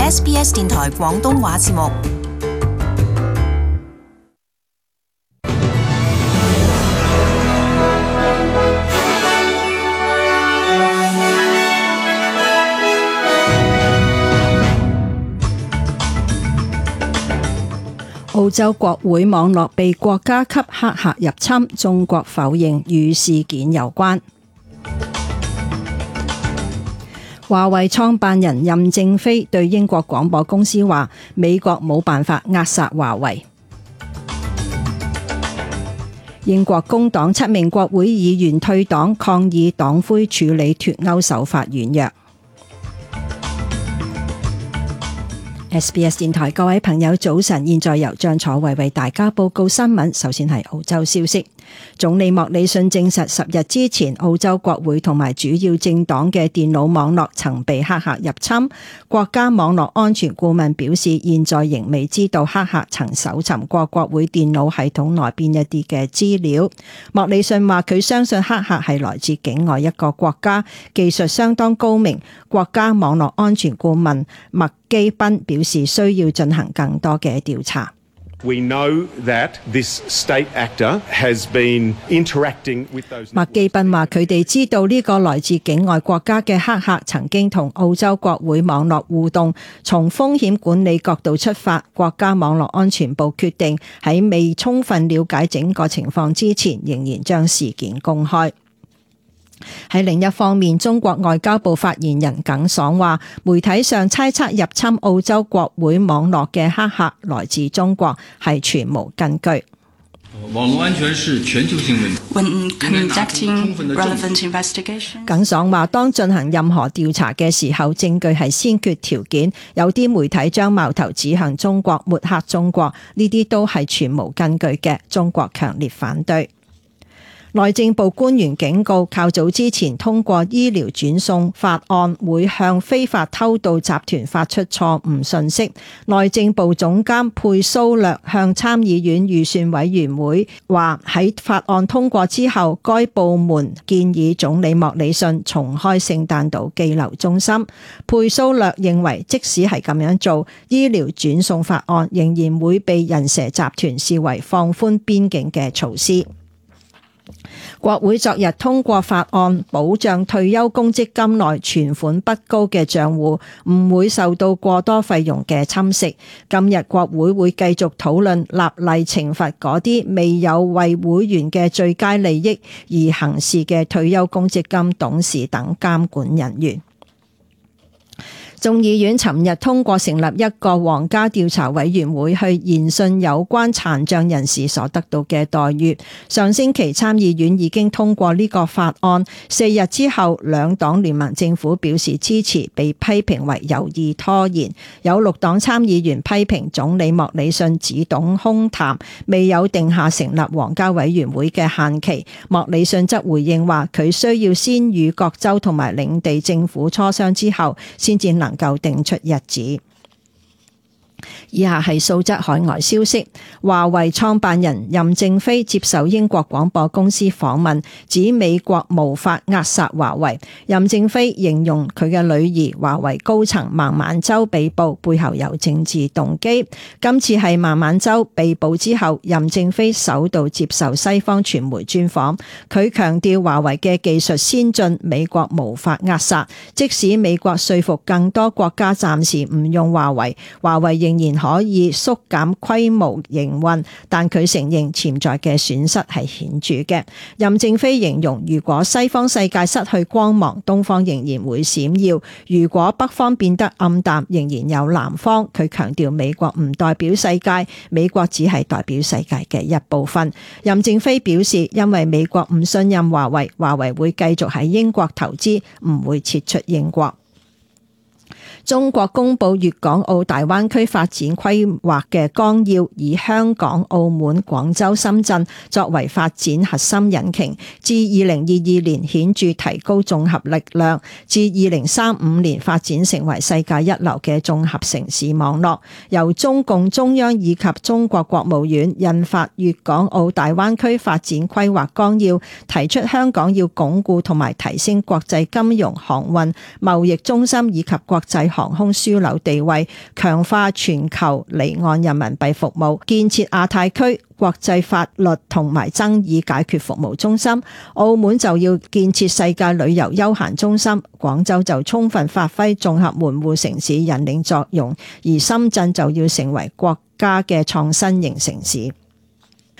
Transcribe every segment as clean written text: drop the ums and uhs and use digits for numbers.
SBS 電台廣東話節目。澳洲國會網絡被國家級黑客入侵，中國否認與事件有關。華為創辦人任正非對英國廣播公司話：美國冇辦法扼殺華為。英國工黨7名國會議員退黨，抗議黨魁處理脫歐手法軟弱。SBS 電台各位朋友早晨，現在由張楚慧為大家報告新聞。首先係澳洲消息，總理莫里遜證實10日之前澳洲國會同埋主要政黨嘅電腦網絡曾被黑客入侵。國家網絡安全顧問表示，現在仍未知道黑客曾搜尋過國會電腦系統內邊一啲嘅資料。莫里遜話佢相信黑客係來自境外一個國家，技術相當高明。國家網絡安全顧問麥基賓表示需要進行更多嘅調查。We know that this state actor has been interacting with those。麥基賓話佢哋知道呢個來自境外國家嘅黑客曾經同澳洲國會網絡互動。從風險管理角度出發，國家網絡安全部決定喺未充分了解整個情況之前，仍然將事件公開。喺另一方面，中國外交部發言人耿爽話，媒體上猜測入侵澳洲國會網絡嘅黑客來自中國係全無根據。網絡安全是全球性問題。When conducting relevant investigation，耿爽話，當進行任何調查嘅時候，證據係先決條件。有啲媒體將矛頭指向中國，抹黑中國，呢啲都係全無根據嘅。中國強烈反對。內政部官員警告，較早之前通過醫療轉送法案會向非法偷渡集團發出錯誤信息。內政部總監佩蘇略向參議院預算委員會話，喺法案通過之後，該部門建議總理莫里遜重開聖誕島羈留中心。佩蘇略認為，即使係咁樣做，醫療轉送法案仍然會被人蛇集團視為放寬邊境嘅措施。國會昨日通過法案，保障退休公積金內存款不高嘅賬戶唔會受到過多費用嘅侵蝕。今日國會會繼續討論立例懲罰嗰啲未有為會員嘅最佳利益而行事嘅退休公積金董事等監管人員。眾議院尋日通過成立一個皇家調查委員會去研訊有關殘障人士所得到嘅待遇。上星期參議院已經通過呢個法案，4日之後兩黨聯盟政府表示支持，被批評為有意拖延。有6黨參議員批評總理莫里遜只懂空談，未有定下成立皇家委員會嘅限期。莫里遜則回應話，佢需要先與各州同埋領地政府磋商之後，先至能夠定出日子。以下係素質海外消息。華為創辦人任正非接受英國廣播公司訪問，指美國無法扼殺華為。任正非形容佢嘅女兒華為高層孟晚舟被捕背後有政治動機。今次係孟晚舟被捕之後，任正非首度接受西方傳媒專訪，佢強調華為嘅技術先進，美國無法扼殺。即使美國說服更多國家暫時唔用華為，華為仍然可以縮減規模營運，但佢承認潛在嘅損失係顯著嘅。任正非形容，如果西方世界失去光芒，東方仍然會閃耀；如果北方變得暗淡，仍然有南方。佢強調美國唔代表世界，美國只係代表世界嘅一部分。任正非表示，因為美國唔信任華為，華為會繼續喺英國投資，唔會撤出英國。中國公布粵港澳大灣區發展規劃嘅綱要，以香港、澳門、廣州、深圳作為發展核心引擎，至2022年顯著提高綜合力量，至2035年發展成為世界一流嘅綜合城市網絡。由中共中央以及中國國務院印發粵港澳大灣區發展規劃綱要，提出香港要鞏固同埋提升國際金融、航運、貿易中心以及國際航空樞紐地位，強化全球離岸人民幣服務，建設亞太區國際法律同埋爭議解決服務中心。澳門就要建設世界旅遊休閒中心，廣州就充分發揮綜合門戶城市引領作用，而深圳就要成為國家嘅創新型城市。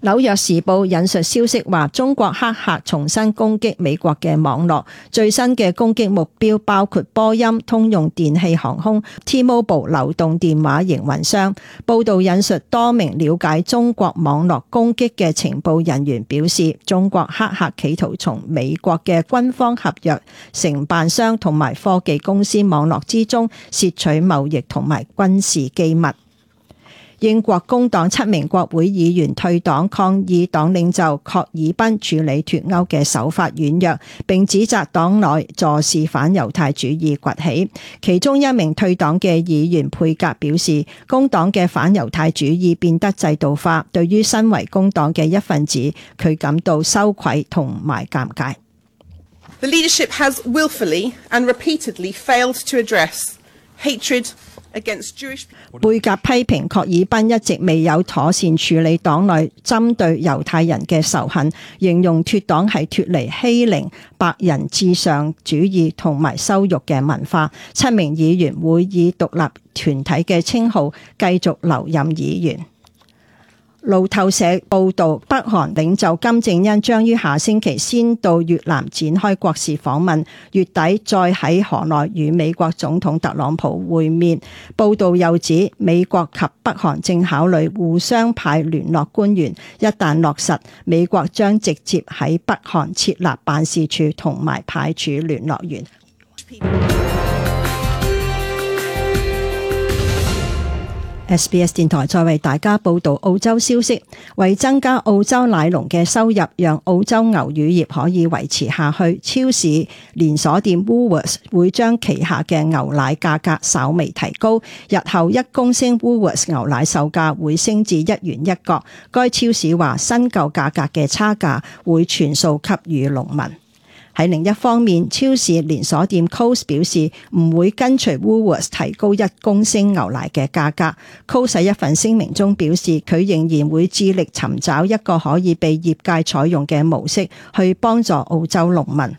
紐約時報引述消息話，中國黑客重新攻擊美國嘅網絡，最新嘅攻擊目標包括波音、通用電氣航空、T-Mobile 流動電話營運商。報道引述多名了解中國網絡攻擊嘅情報人員表示，中國黑客企圖從美國嘅軍方合約承辦商同埋科技公司網絡之中竊取貿易同埋軍事機密。英國工黨7名國會議員退黨，抗議黨領袖郝爾彬處理脫歐嘅手法軟弱，並指責黨內坐視反猶太主義崛起。其中一名退黨嘅議員佩格表示，工黨嘅反猶太主義變得制度化，對於身為工黨嘅一份子，佢感到羞愧同埋尷尬。The leadership has willfully and repeatedly failed to address hatred against Jewish people. 貝格批評郝爾彬一直未有妥善處理黨內針對猶太人嘅仇恨，形容脫黨係脫離欺凌、白人至上主義同埋羞辱嘅文化。7名議員會以獨立團體嘅稱號繼續留任議員。路透社報導，北韓領袖金正恩將於下星期先到越南展開國事訪問，月底再喺河內與美國總統特朗普會面。報導又指，美國及北韓正考慮互相派聯絡官員，一旦落實，美國將直接喺北韓設立辦事處同埋派駐聯絡員。SBS 電台再為大家報導澳洲消息，為增加澳洲奶農嘅收入，讓澳洲牛乳業可以維持下去，超市連鎖店 Woolworths 會將旗下嘅牛奶價格稍微提高，日後1公升 Woolworths 牛奶售價會升至1元1角。該超市話新舊價格嘅差價會全數給予農民。喺另一方面，超市連鎖店 Coles 表示唔會跟隨 Woolworths 提高1公升牛奶嘅價格。Coles 喺一份聲明中表示，佢仍然會致力尋找一個可以被業界採用嘅模式，去幫助澳洲農民。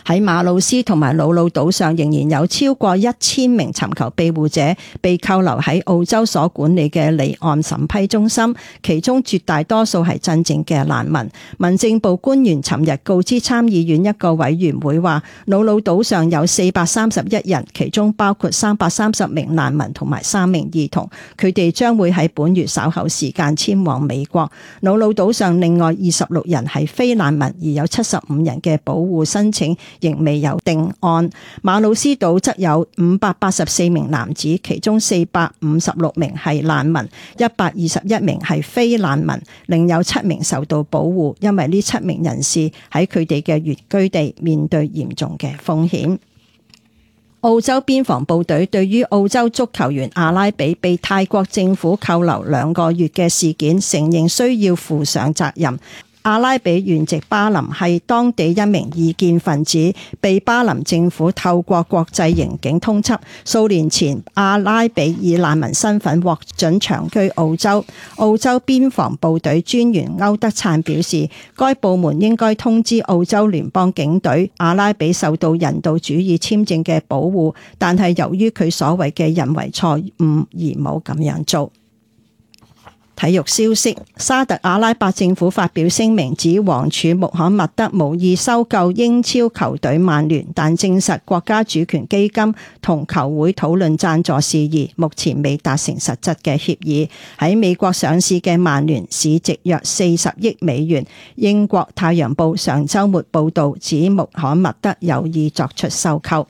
喺馬魯斯同埋魯魯島上，仍然有超過1000名尋求庇護者被扣留喺澳洲所管理嘅離岸審批中心，其中絕大多數係真正嘅難民。民政部官員尋日告知參議院一個委員會話，魯魯島上有431人，其中包括330名難民同埋3名兒童，佢哋將會喺本月稍後時間遷往美國。魯魯島上另外26人係非難民，而有75人嘅保護申請仍未有定案。馬魯斯島則有584名男子，其中456名係難民，121名係非難民，另有7名受到保護，因為呢7名人士喺佢哋嘅原居地面對嚴重嘅風險。澳洲邊防部隊對於澳洲足球員阿拉比被泰國政府扣留2個月嘅事件，承認需要負上責任。阿拉比原籍巴林，係當地一名異見分子，被巴林政府透過國際刑警通緝。數年前，阿拉比以難民身份獲准長居澳洲。澳洲邊防部隊專員歐德燦表示，該部門應該通知澳洲聯邦警隊，阿拉比受到人道主義簽證嘅保護，但係由於佢所謂嘅人為錯誤而冇咁樣做。體育消息，沙特阿拉伯政府發表聲明指王儲穆罕默德無意收購英超球隊曼聯，但證實國家主權基金同球會討論贊助事宜，目前未達成實質嘅協議。喺美國上市嘅曼聯市值約40億美元。英國太陽報上週末報導指穆罕默德有意作出收購。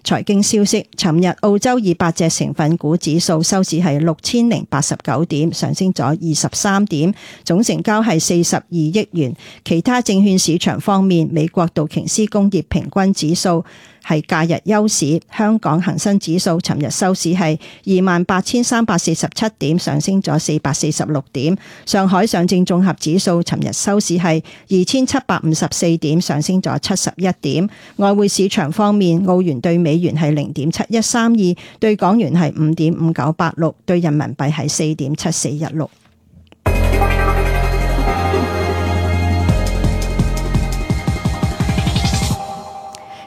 財經消息，尋日澳洲200隻成分股指數收市係6089點，上升咗23點，總成交係42億元。其他證券市場方面，美國道瓊斯工業平均指數係假日休市。香港恒生指數尋日收市係28,347點，上升咗446點。上海上證綜合指數尋日收市係2,754點，上升咗71點。外匯市場方面，澳元對美元係0.7132，對港元係5.5986，對人民幣係4.7416。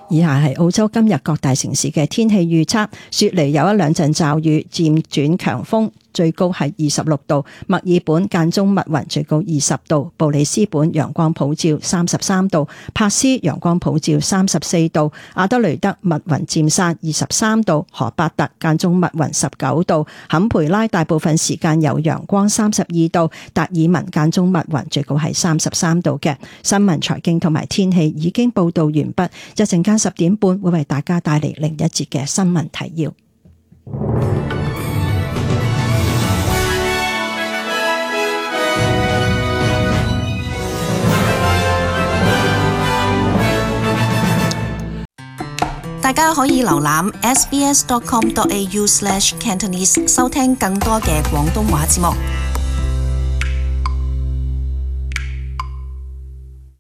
以下係澳洲今日各大城市嘅天氣預測，雪梨有一兩陣驟雨，漸轉強風，最高係26度；墨爾本間中密雲，最高20度；布里斯本陽光普照33度；珀斯陽光普照34度；阿德雷德密雲漸散23度；荷伯特間中密雲19度；坎培拉大部分時間有陽光32度；達爾文間中密雲，最高係33度嘅。新聞、財經同埋天氣已經報道完畢，一陣間10點半會為大家帶嚟另一節嘅新聞提要。大家可以瀏覽 sbs.com.au/Cantonese 收聽更多嘅廣東話節目。